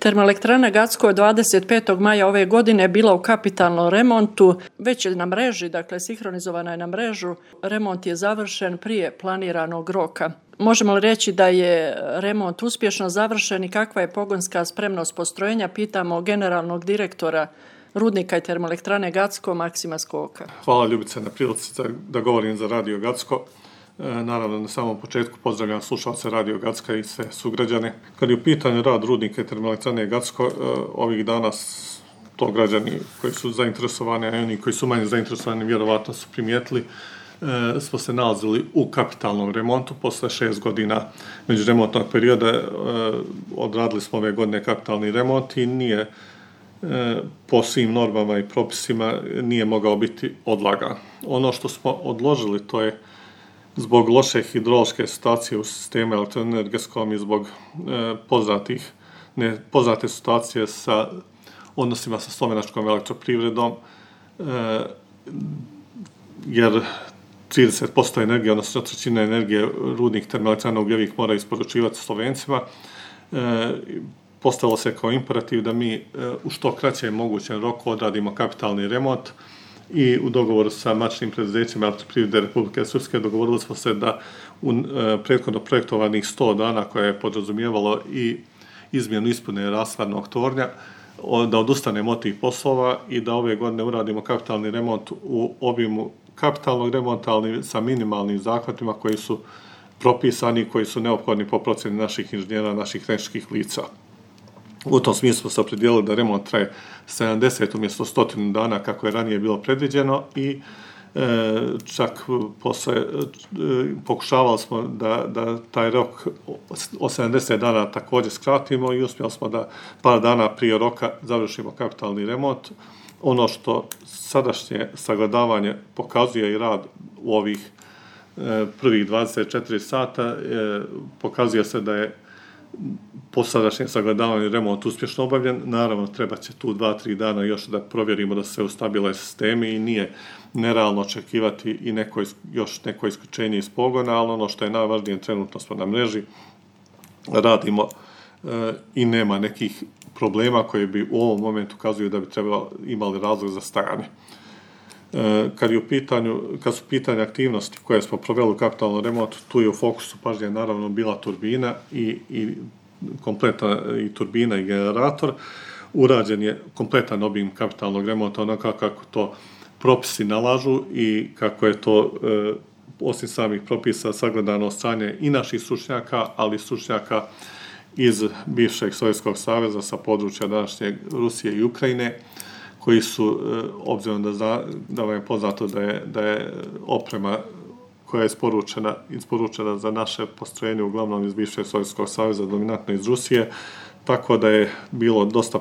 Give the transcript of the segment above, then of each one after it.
Termoelektrana Gacko 25. maja ove godine bila u kapitalnom remontu, već je na mreži, dakle sinhronizovana je na mrežu. Remont je završen prije planiranog roka. Možemo li reći da je remont uspješno završen i kakva je pogonska spremnost postrojenja? Pitamo generalnog direktora Rudnika i termoelektrane Gacko, Maksima Skoka. Hvala Ljubice na prilici da govorim za Radio Gacko. Naravno, na samom početku pozdravljam slušalce Radio Gacka i sve sugrađane. Kad je u pitanju rad Rudnika i termoelektrane Gacko, ovih dana to građani koji su zainteresovani, a oni koji su manje zainteresovani vjerovatno su primijetili, smo se nalazili u kapitalnom remontu. Posle 6 godina međuremontnog perioda odradili smo ove godine kapitalni remont i nije po svim normama i propisima nije mogao biti odlagan. Ono što smo odložili, to je zbog loše hidrološke situacije u sistemu elektroenergetskom i zbog poznate situacije sa odnosima sa slovenačkom elektroprivredom, jer 30% energije, odnosno 1/3 energije rudnih termoelektrana ugljevih mora isporučivati Slovencima. Postavilo se kao imperativ da mi u što kraćem mogućem roku odradimo kapitalni remont i u dogovoru sa matičnim preduzećima Elektroprivrede Republike Srpske dogovorili smo se da u prethodno projektovanih 100 dana koje je podrazumijevalo i izmjenu ispune rashladnog tornja, da odustanemo od tih poslova i da ove godine uradimo kapitalni remont u obimu kapitalnog remonta, ali sa minimalnim zahvatima koji su propisani, koji su neophodni po procjeni naših inženjera, naših tehničkih lica. U tom smislu smo se opredijelili da remont traje 70 umjesto 100 dana kako je ranije bilo predviđeno i čak pokušavali smo da taj rok od 70 dana također skratimo i uspjeli smo da par dana prije roka završimo kapitalni remont. Ono što sadašnje sagledavanje pokazuje i rad u ovih prvih 24 sata, pokazuje se da je po sadašnjem sagledavanju remont uspješno obavljen. Naravno, treba će tu 2-3 dana još da provjerimo da se ustabile sistemi i nije nerealno očekivati i još neko isključenje iz pogona, ali ono što je najvažnije, trenutno smo na mreži, radimo i nema nekih problema koji bi u ovom momentu ukazuju da bi imali razlog za stajanje. Kad su pitanje aktivnosti koje smo proveli u kapitalnom remontu, tu je u fokusu pažnje naravno bila turbina i kompletna i turbina i generator. Urađen je kompletan obim kapitalnog remonta onako kako to propisi nalažu i kako je to osim samih propisa sagledano stanje i naših stručnjaka, ali i stručnjaka iz bivšeg Sovjetskog saveza sa područja današnje Rusije i Ukrajine, koji su, obzirom da vam je poznato da je oprema koja je isporučena za naše postrojenje uglavnom iz bivšeg Sovjetskog saveza, dominantno iz Rusije, tako da je bilo dosta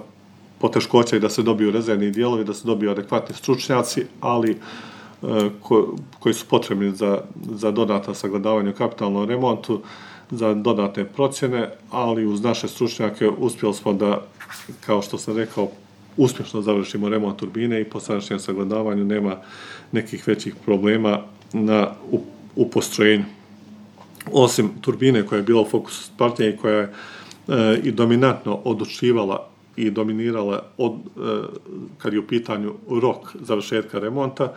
poteškoća i da se dobiju rezervni dijelovi, da se dobiju adekvatni stručnjaci, ali koji su potrebni za dodatno sagledavanje u kapitalnom remontu, za dodatne procjene, ali uz naše stručnjake uspjeli smo da, kao što sam rekao, uspješno završimo remont turbine i po sadašnjem sagledavanju nema nekih većih problema u postrojenju. Osim turbine koja je bila u fokusu pažnje i koja je i dominantno odlučivala i dominirala kad je u pitanju rok završetka remonta,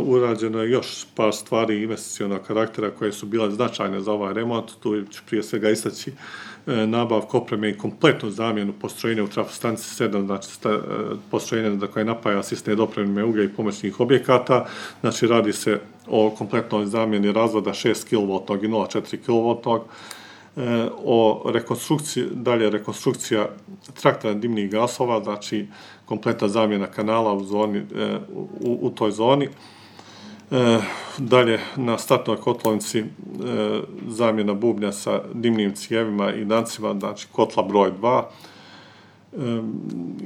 urađeno je još par stvari investicionog karaktera koje su bile značajne za ovaj remont. Tu ću prije svega istaći nabavku opreme i kompletnu zamjenu postrojenja u trafostanici 7, znači postrojenja za koje napaja sistem dopreme uglja i pomoćnih objekata. Znači radi se o kompletnoj zamjeni razvoda 6 kV i 0,4 kV, o rekonstrukcija traktora dimnih gasova, znači kompletna zamjena kanala u toj zoni. Dalje na startnoj kotlovnici zamjena bubnja sa dimnim cijevima i dancima, znači kotla broj 2.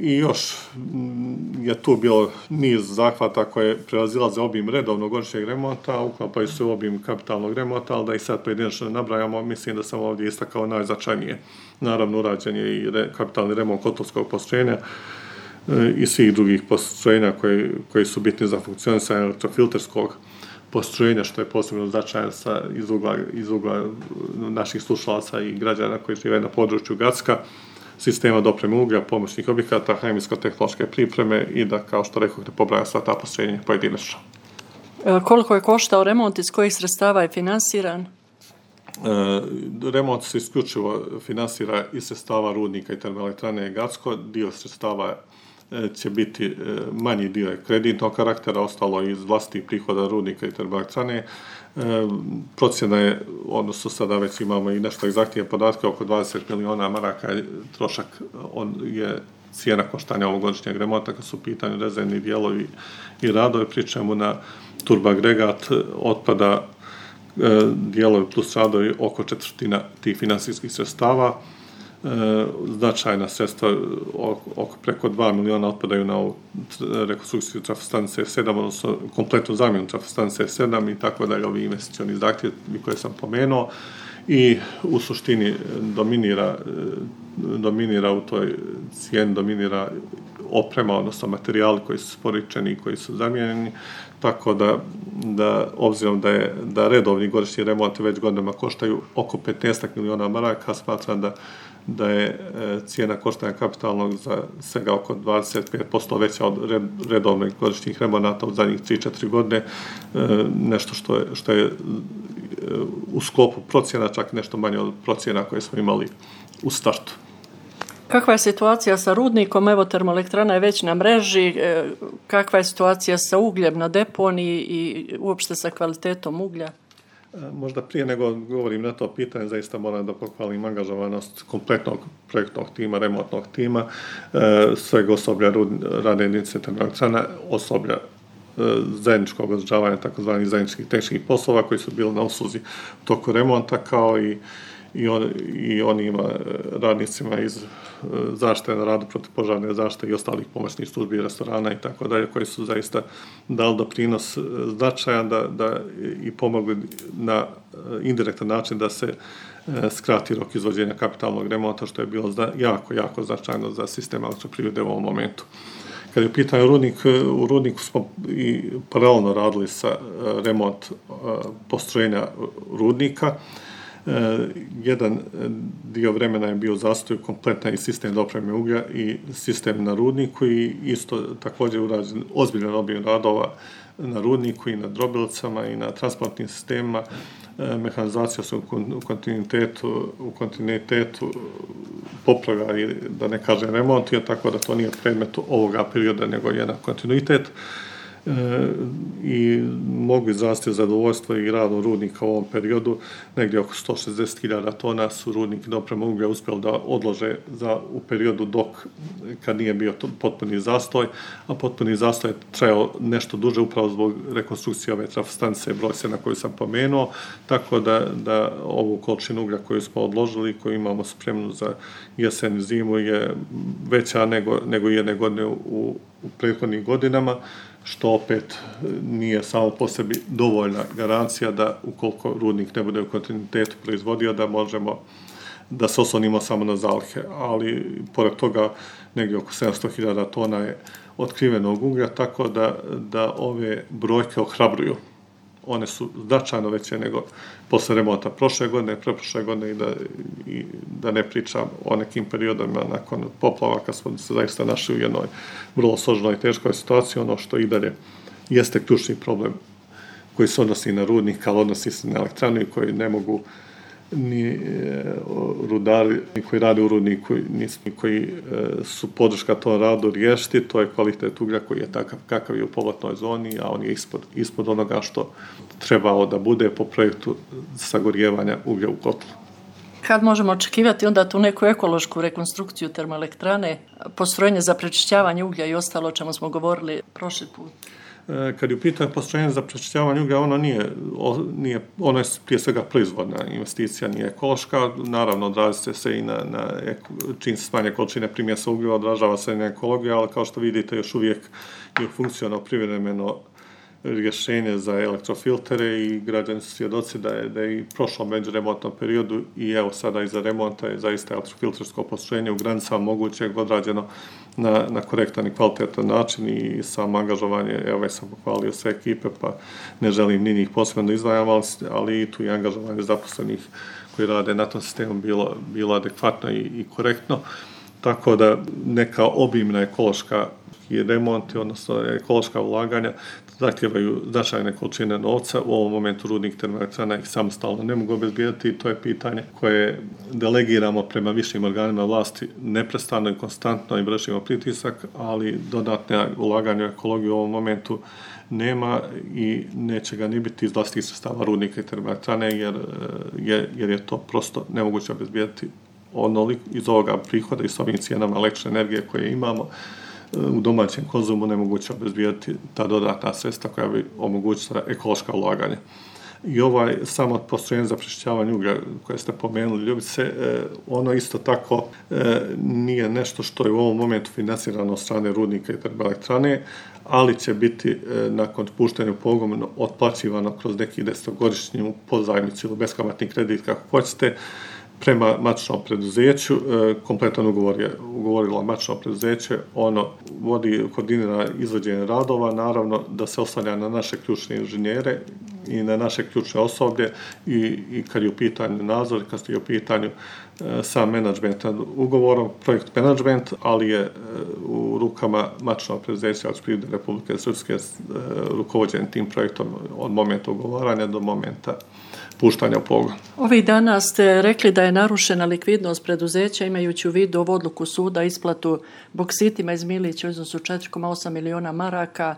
I još je tu bilo niz zahvata koje prelazilaze obim redovnog godišnjeg remonta, uklapaju se u obim kapitalnog remonta, ali da ih sad pojedinačno nabrajamo, mislim da sam ovdje istakao najznačajnije. Naravno, urađen je i kapitalni remont kotlovskog postrojenja i svih drugih postrojenja koji su bitni za funkcionisanje elektrofilterskog postrojenja, što je posebno značajno iz ugla naših slušalaca i građana koji žive na području Gacka. sistema dopreme uglja, pomoćnih objekata, hemijsko-tehnološke pripreme i da, kao što rekao, ne pobrajam sva ta postrojenja pojedinačno. Koliko je koštao remont, iz kojih sredstava je finansiran? Remont se isključivo finansira iz sredstava rudnika i termoelektrane Gacko. Dio sredstava će biti, manji dio je kreditnog karaktera, ostalo iz vlastitih prihoda rudnika i termoelektrane. Procjena je, odnosno sada već imamo i nešto egzaktnije podatke, oko 20 miliona maraka je trošak, je cijena koštanja ovogodišnjeg remonta kad su u pitanju rezervni dijelovi i radovi, pri čemu na turboagregat otpada dijelovi plus radovi oko četvrtina tih finansijskih sredstava. Značajna sredstva, oko preko 2 miliona otpadaju na ovu rekonstrukciju trafostanice 7, odnosno kompletnu zamjenu trafostanice 7 i tako dalje, ovi investicioni zahtjevi koje sam pomenuo. I u suštini dominira u toj cijeni, dominira oprema, odnosno materijali koji su isporučeni i koji su zamijenjeni, tako da obzirom da redovni godišnji remonti već godinama koštaju oko 15 miliona maraka, smatram da je cijena koštanja kapitalnog za svega oko 25% veća od redovnih godišnjih remonata u zadnjih 3-4 godine, nešto što je u sklopu procjena, čak nešto manje od procjena koje smo imali u startu. Kakva je situacija sa rudnikom? Evo, termoelektrana je već na mreži. Kakva je situacija sa ugljem na deponiji i uopšte sa kvalitetom uglja? Možda prije nego govorim na to pitanje, zaista moram da pohvalim angažovanost kompletnog projektnog tima, remontnog tima, sveg osoblja radne jedinice termoelektrana, osoblja zajedničkog održavanja, takozvanih zajedničkih tehničkih poslova koji su bili na usluzi u toku remonta, kao i onima radnicima iz zaštite na radu, protivpožarne zaštite i ostalih pomoćnih službi, restorana i tako dalje, koji su zaista dali doprinos značajan da i pomogli na indirektan način da se skrati rok izvođenja kapitalnog remonta, što je bilo jako značajno za sistem elektroprivrede u ovom momentu. Kad je u pitanju rudnik, u rudniku smo i paralelno radili sa remont postrojenja rudnika. Jedan dio vremena je bio zastoj kompletan i sistem dopreme uglja i sistem na rudniku i isto također urađen ozbiljan obim radova na rudniku i na drobilicama i na transportnim sistemima. Mehanizacija se u kontinuitetu popravlja i da ne kažem remontija, tako da to nije predmet ovoga perioda, nego jedan kontinuitet. I mogu izraziti zadovoljstvo i radom rudnika u ovom periodu. Negdje oko 160.000 tona su rudnik i doprema uglja uspjeli da odlože u periodu kad nije bio potpuni zastoj, a potpuni zastoj je trajao nešto duže upravo zbog rekonstrukcije ove trafostanice broj 7 koju sam pomenuo, tako da ovu količinu uglja koju smo odložili, koju imamo spremnu za jesen i zimu, je veća nego jedne godine u prethodnim godinama, što opet nije samo po sebi dovoljna garancija da ukoliko rudnik ne bude u kontinuitetu proizvodio, da možemo da se oslonimo samo na zalihe. Ali pored toga negdje oko 700.000 tona je otkrivenog uglja, tako da ove brojke ohrabruju. One su značajno veće nego posle remonta prošle godine, preprošle godine i da ne pričam o nekim periodima nakon poplava kad smo se zaista našli u jednoj vrlo složenoj i teškoj situaciji. Ono što i dalje jeste ključni problem koji se odnosi na rudnik, ali odnosi se na elektranu i koji ne mogu ni rudari koji rade u rudniku, ni koji su podrška tom radu riješiti, to je kvalitet uglja koji je takav kakav je u povratnoj zoni, a on je ispod onoga što trebao da bude po projektu sagorijevanja uglja u kotlu. Kad možemo očekivati onda tu neku ekološku rekonstrukciju termoelektrane, postrojenje za prečišćavanje uglja i ostalo o čemu smo govorili prošli put? Kad je u pitanju postrojenje za prečišćavanje uglja, ono je prije svega proizvodna investicija, nije ekološka. Naravno, odražava se i čim se smanje količine primjesa ugljeva, odražava se i na ekologiju, ali kao što vidite još uvijek je funkcionalno privremeno rješenje za elektrofiltere i građani su svjedoci da je i prošlom međuremontnom periodu i evo sada iza remonta je zaista elektrofiltersko postrojenje u granicama mogućeg odrađeno na korektan i kvalitetan način i samo angažovanje, evo već sam pohvalio sve ekipe pa ne želim ni njih posebno izdvajam, ali i tu je angažovanje zaposlenih koji rade na tom sistemu bilo adekvatno i korektno. tako da neka obimna ekološka i remonti, odnosno ekološka ulaganja, zahtijevaju značajne količine novca. U ovom momentu rudnik termoelektrana ih samostalno ne mogu obezbijediti i to je pitanje koje delegiramo prema višim organima vlasti neprestano i konstantno i vršimo pritisak, ali dodatne ulaganja u ekologiju u ovom momentu nema i neće ga ni biti iz vlastitih sredstava rudnika i termoelektrane jer je to prosto nemoguće obezbijediti iz ovoga prihoda i s ovim cijenama električne energije koje imamo u domaćem konzumu nemoguće obezbijediti ta dodatna sredstva koja bi omogućila ekološka ulaganja. I samo postrojenje za pročišćavanje uglja koje ste pomenuli, Ljubice, ono isto tako nije nešto što je u ovom momentu financirano od strane rudnika i termoelektrane, ali će biti nakon puštanja u pogon otplaćivano kroz neki 10-godišnju pozajmicu ili beskamatni kredit, kako hoćete, prema matičnom preduzeću. Kompletan ugovor je ugovorilo matično preduzeće, ono koordinira izvođenje radova, naravno da se oslanja na naše ključne inženjere i na naše ključne osoblje i kad je u pitanju nadzor, kad je u pitanju sam menadžment nad ugovorom, projekt menadžment, ali je u rukama matičnog preduzeća Elektroprivrede Republike Srpske rukovođen tim projektom od momenta ugovaranja do momenta puštanja u pogon. Ovih dana ste rekli da je narušena likvidnost preduzeća imajući u vidu ovu odluku suda isplatu Boksitima iz Milića u iznosu 4,8 miliona maraka.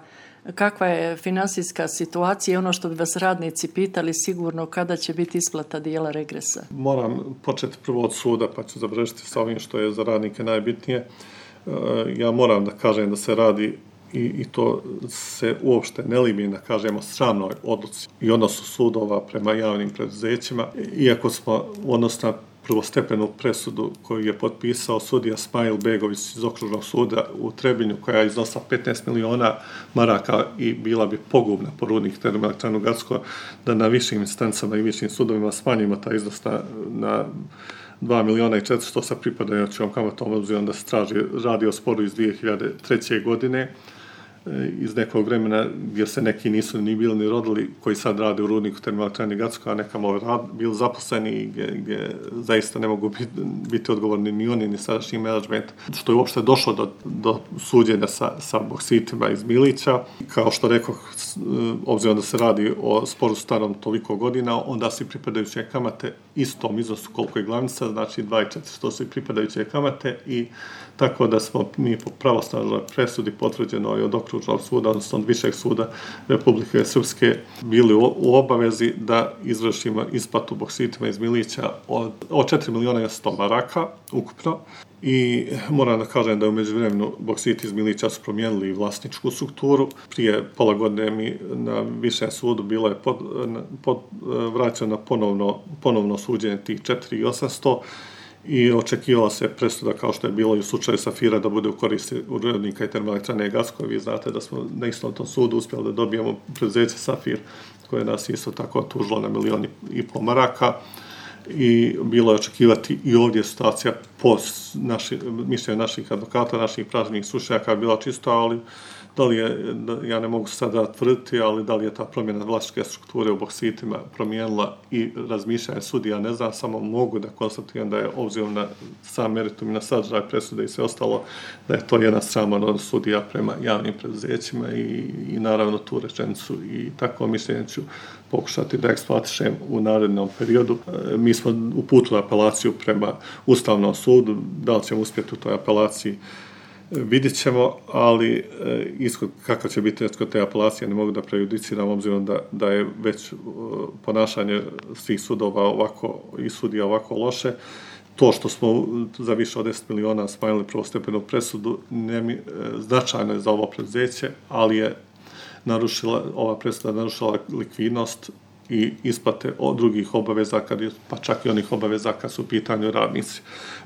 Kakva je financijska situacija i ono što bi vas radnici pitali sigurno kada će biti isplata dijela regresa? Moram početi prvo od suda pa ću završiti sa ovim što je za radnike najbitnije. Ja moram da kažem da se radi i to se uopšte ne libi da kažemo sramnoj odluci i odnosu sudova prema javnim preduzećima, iako smo u odnosu na prvostepenu presudu koju je potpisao sudija Smajl Begović iz Okružnog suda u Trebinju, koja je iznosila 15 miliona maraka i bila bi pogubna po rudnik termoelektranu Gacko, da na višim instancama i višim sudovima smanjimo taj iznos na 2 miliona i 400 sa pripadajućom kamatom, obzirom da se radi o sporu iz 2003. godine, iz nekog vremena gdje se neki nisu ni bili ni rodili, koji sad rade u rudniku termoelektrane Gacko, a nekamo bili zaposleni gdje zaista ne mogu biti odgovorni ni oni, ni sadašnji menadžment, što je uopšte došlo do suđenja sa Boksitima iz Milića. Kao što rekao, obzirom da se radi o sporu starom toliko godina, onda su pripadajuće kamate istom iznosu koliko je glavnica, znači 2.400 su pripadajuće kamate i tako da smo mi po pravosnažnoj presudi potvrđeno i od Okružnog suda, odnosno od Višeg suda Republike Srpske, bili u obavezi da izvršimo isplatu Boksitima iz Milića od 4 miliona i 100 maraka ukupno. I moram da kažem da u međuvremenu Boksiti iz Milića su promijenili vlasničku strukturu. Prije pola godine mi na Višem sudu bilo je vraćeno ponovno suđenje tih 4.800 i očekivala se presuda, kao što je bilo i u slučaju Safira, da bude u korist rudnika i termoelektrane Gacko. Vi znate da smo na istom tom sudu uspjeli da dobijemo preduzeće Safir, koje nas isto tako tužilo na 1,5 miliona maraka. I bilo je očekivati i ovdje situacija po mišljenju naših advokata, naših pravnih stručnjaka bila čisto, ali da li je, ja ne mogu sada tvrditi, ali da li je ta promjena vlasničke strukture u Boksitima promijenila i razmišljanje sudija, ne znam, samo mogu da konstatujem da je obzirom na sam meritum i na sadržaj presude i sve ostalo, da je to jedan sraman odnos sudija prema javnim preduzećima i naravno tu rečenicu i takvo mišljenje ću pokušati da eksploatišem u narednom periodu. Mi smo uputili apelaciju prema Ustavnom sudu, da li ćemo uspjeti u toj apelaciji vidjet ćemo, ali kako će biti kod te apelacije ne mogu da prejudiciram, obzirom da je već ponašanje svih sudova ovako i sudija ovako loše. To što smo za više od 10 miliona smanjili prvostepenu presudu značajno je za ovo preduzeće, ali je ova presuda narušila likvidnost i isplate od drugih obaveza, pa čak i onih obaveza kad su u pitanju radnici.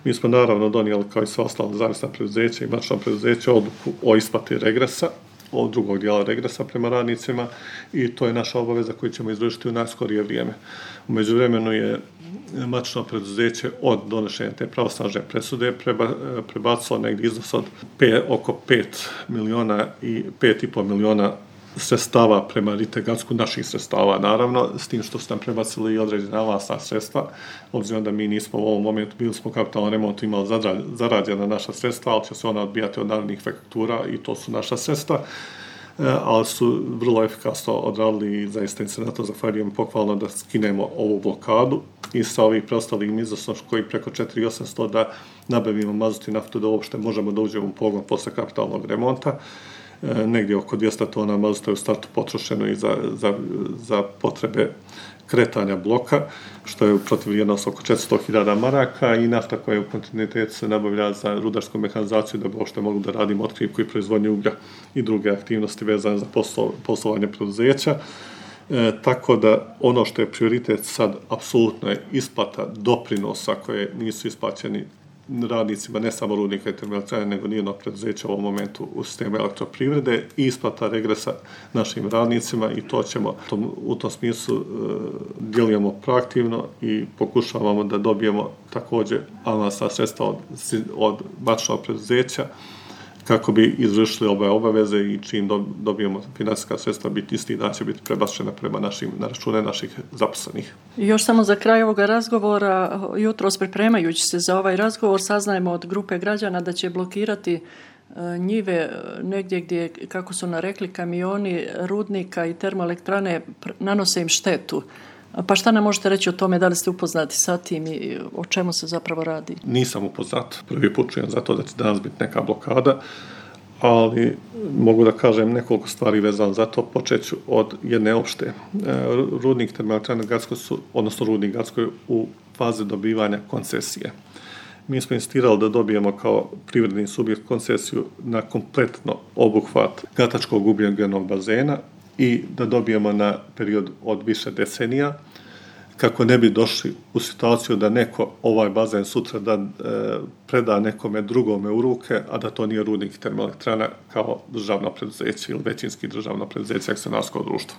Mi smo naravno donijeli, kao i sve ostalo zavisna preduzeća i matično preduzeće, odluku o isplati regresa, od drugog dijela regresa prema radnicima i to je naša obaveza koju ćemo izvršiti u najskorije vrijeme. U međuvremenu je matično preduzeće od donošenja te pravosnažne presude prebacilo negdje iznos od oko 5,5 miliona sredstava prema Rite Gacku, naših sredstava naravno, s tim što su nam prebacili i određena avансna sredstva, obzirom da mi nismo u ovom momentu, bili smo kapitalnom remontu imali zarađena naša sredstva, ali će se ona odbijati od narednih faktura i to su naša sredstva, ali su vrlo efikasno odradili i zaista im se na to zahvaljujem pohvalno da skinemo ovu blokadu i sa ovih preostalim iznosom koji preko 4.800 da nabavimo mazut i naftu da uopšte možemo da uđemo u pogon posle kapitalnog remonta. Negdje oko 200 tona mazuta je u startu potrošeno i za potrebe kretanja bloka, što je protiv vrijednost oko 400.000 maraka i nafta koja je u kontinuitetu se nabavlja za rudarsku mehanizaciju da bi uopšte mogli da radimo otkrivku i proizvodnju uglja i druge aktivnosti vezane za poslovanje preduzeća. Tako da ono što je prioritet sad apsolutno je isplata doprinosa koje nisu isplaćeni radnicima, ne samo rudnika i termoelektrane, nego nijednog preduzeća u ovom momentu u sistemu elektroprivrede i isplata regresa našim radnicima i to ćemo u tom smislu djelujemo proaktivno i pokušavamo da dobijemo također avansna sredstva od matičnog preduzeća kako bi izvršili ove obaveze i čim dobijemo finansijska sredstva biti isti dan će biti prebačena prema na račune naših zaposlenih. I još samo za kraj ovoga razgovora, jutros pripremajući se za ovaj razgovor, saznajemo od grupe građana da će blokirati njive negdje gdje, kako su narekli, kamioni rudnika i termoelektrane nanose im štetu. Pa šta nam možete reći o tome, da li ste upoznati sa tim i o čemu se zapravo radi? Nisam upoznat, prvi put čujem za to da će danas biti neka blokada, ali mogu da kažem nekoliko stvari vezano za to. Počeću od jedne opšte. Rudnik termoelektrane Gacko odnosno rudnik Gacko je u fazi dobivanja koncesije. Mi smo insistirali da dobijemo kao privredni subjekt koncesiju na kompletno obuhvat Gatačkog ugljenog bazena i da dobijemo na period od više decenija, kako ne bi došli u situaciju da neko ovaj bazen sutra preda nekome drugome u ruke, a da to nije rudnik termoelektrana kao državno preduzeće ili većinski državno preduzeće akcionarsko društvo.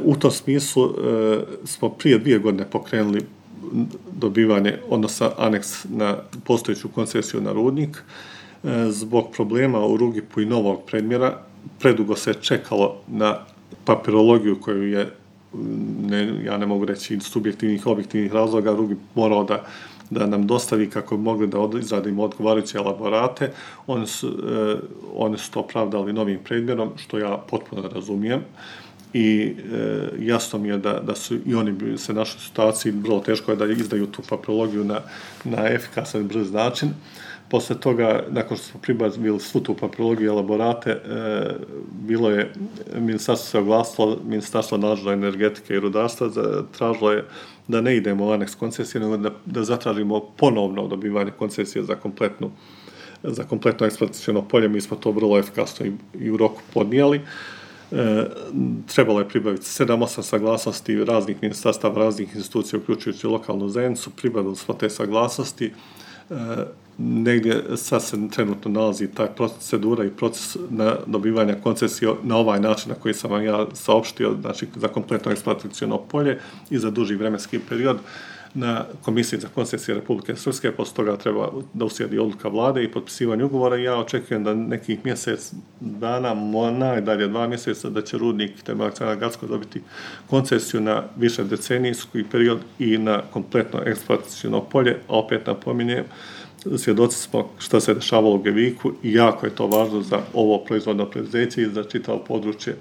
U tom smislu smo prije 2 godine pokrenuli dobivanje, odnosno aneks na postojeću koncesiju na rudnik. Zbog problema u Rugipu i novog predmjera predugo se čekalo na papirologiju koju je, ja ne mogu reći subjektivnih, objektivnih razloga, Rugip morao da nam dostavi kako bi mogli da izradimo odgovarajuće elaborate. Oni su to opravdali novim predmjerom, što ja potpuno razumijem. I jasno mi je da su i oni se našli u situaciji, vrlo teško je da izdaju tu papirologiju na efikasan i brz način. Posle toga, nakon što smo pribavili svu tu papirologiju i elaborate, bilo je, ministarstvo se oglasilo, ministarstvo nadležno energetike i rudarstva tražilo je da ne idemo u aneks koncesije, nego da zatražimo ponovno dobivanje koncesije za kompletno eksploataciono polje. Mi smo to vrlo efikasno i u roku podnijeli. Trebalo je pribaviti 7-8 saglasnosti raznih ministarstava, raznih institucija, uključujući lokalnu zajednicu. Pribavili smo te saglasnosti. Negdje sad se trenutno nalazi taj procedura i proces na dobivanja koncesije na ovaj način na koji sam vam ja saopštio, znači za kompletno eksploataciono polje i za duži vremenski period na Komisiji za koncesije Republike Srpske. Posle toga treba da uslijedi odluka vlade i potpisivanje ugovora i ja očekujem da nekih mjesec dana, najdalje 2 mjeseca, da će rudnik termoelektrana Gacko dobiti koncesiju na više decenijski period i na kompletno eksploataciono polje, a opet napominjem, svjedoci smo šta se dešavalo u Geviku i jako je to važno za ovo proizvodno preduzeće i za čitavo područje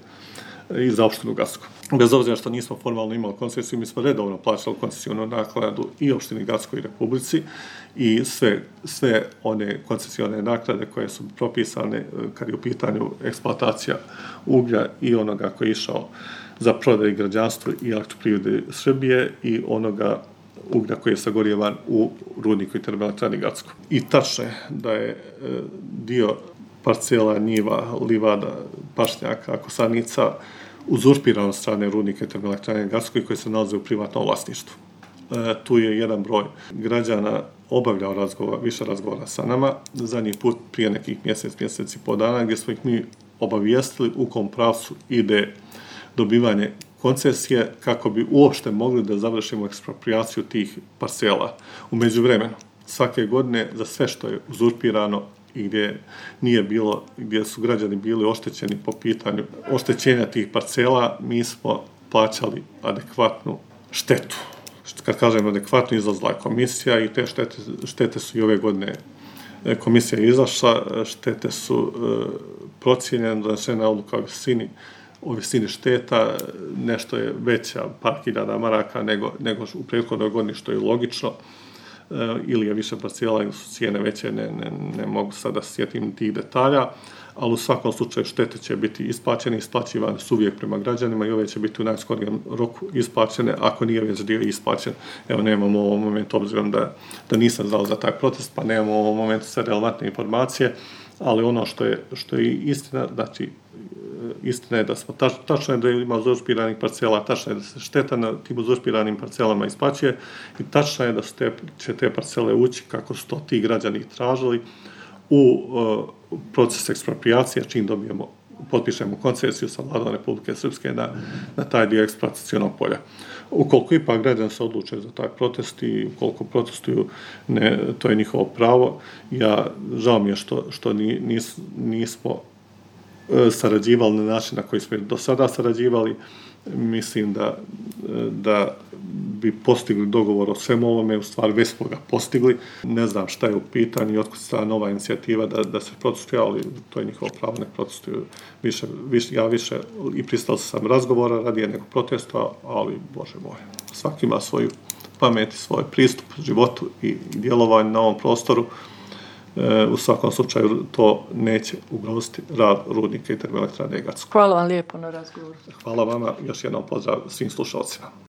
i za opštinu Gacko. Bez obzira što nismo formalno imali koncesiju, mi smo redovno plaćali koncesijonu naknadu i opštini Gacko i Republici i sve one koncesione naknade koje su propisane kad je u pitanju eksploatacija uglja i onoga koji je išao za prodaju građanstvu i elektroprivrede Srbije i onoga uglja koji je sagorijevan u rudniku i termoelektrani Gacko. I tačno je da je dio parcela, njiva, livada, pašnjaka, kosanica uzurpiran od strane rudnika i termoelektrane Gacko i koji se nalaze u privatnom vlasništvu. Tu je jedan broj građana obavljao više razgovora sa nama, zadnji put prije nekih mjeseci po dana, gdje smo ih mi obavijestili u kom pravcu ide dobivanje koncesije kako bi uopšte mogli da završimo eksproprijaciju tih parcela. U međuvremenu, svake godine za sve što je uzurpirano i gdje su građani bili oštećeni po pitanju oštećenja tih parcela, mi smo plaćali adekvatnu štetu. Kad kažem adekvatno, izlazila je komisija i te štete su i ove godine komisija izašla, štete su procijenjene, donesena odluka o visini šteta, nešto je veća, par hiljada maraka nego u prethodnoj godini, što je logično, ili je više parcela ili su cijene veće, ne mogu sada sjetim tih detalja, ali u svakom slučaju štete će biti isplaćivane su uvijek prema građanima i ove će biti u najskorijem roku isplaćene, ako nije već dio isplaćen. Evo, nemamo u ovom momentu, obzirom da nisam znao za taj protest, pa nemamo u ovom momentu sve relevantne informacije, ali ono što je istina, znači, istina je da smo, tačno je da ima uzurpiranih parcela, tačno je da se šteta na tim uzurpiranim parcelama isplaćuje i tačno je da će te parcele ući, kako su to ti građani tražili, u proces ekspropriacije, čim potpišemo koncesiju sa Vladom Republike Srpske na taj dio eksploatacionog polja. Ukoliko ipak građani se odluče za taj protest i ukoliko protestuju, to je njihovo pravo. Žao mi je što nismo sarađivali na način na koji smo do sada sarađivali. Mislim da bi postigli dogovor o svemu ovome, u stvari već smo ga postigli. Ne znam šta je u pitanju i otkud sta nova inicijativa da se protestuje, ali to je njihovo pravo, ne protestuju. Ja više i pristao sam razgovora radije nego protesta, ali, Bože moj, svaki ima svoju pamet i svoj pristup životu i djelovanju na ovom prostoru. U svakom slučaju to neće ugroziti rad rudnika i termoelektrane Gacko. Hvala vam lijepo na razgovoru. Hvala vama, još jednom pozdrav svim slušalcima.